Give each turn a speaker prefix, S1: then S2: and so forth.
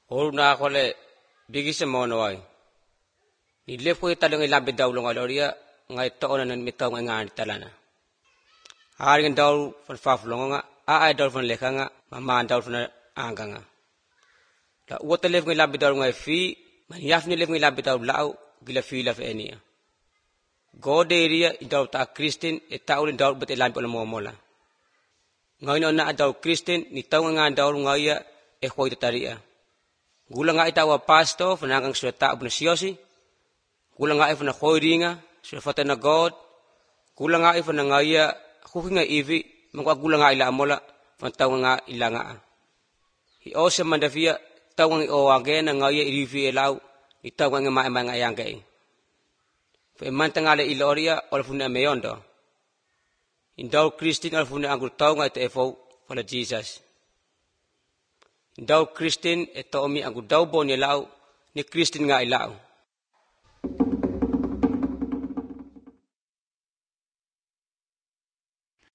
S1: Oru na akhole bigisa monowai. Ni lefu talong ilambi daulong aloria ngai toona nan mitaw ngai ngani talana. Aringan daul fan faflonga a ai daul fan lekanga mama daul fan anganga. La uota lef ngai lambi daul ngai fi man yaf ni lef ngai lambi daul lau gila fi la fe enia. Gode iria daul ta Kristin e taulin daul bet lambi ola momola. Ngai no na daul Kristin ni tau ngai daul ngai e khoi taria. Gula ngai tawa pasto fanangang sura ta ubna siosi. Gula ngai fana khoiringa sura fatana God. Gula ngai fana ngai khukinga ivi mangwa gula ngai la amola fan tau nga ilanga. Hi ose mandafia tau ngai o agena ngai irivi elau ni tau ngai ma ma ngai angai. Fe mantangale iloria ola funa meyondo. Indaw Kristin ola funa angul tau ngai te efou fala Jesus. Indaw Kristin e toomi angul daw boni lau ni Kristin nga ilau.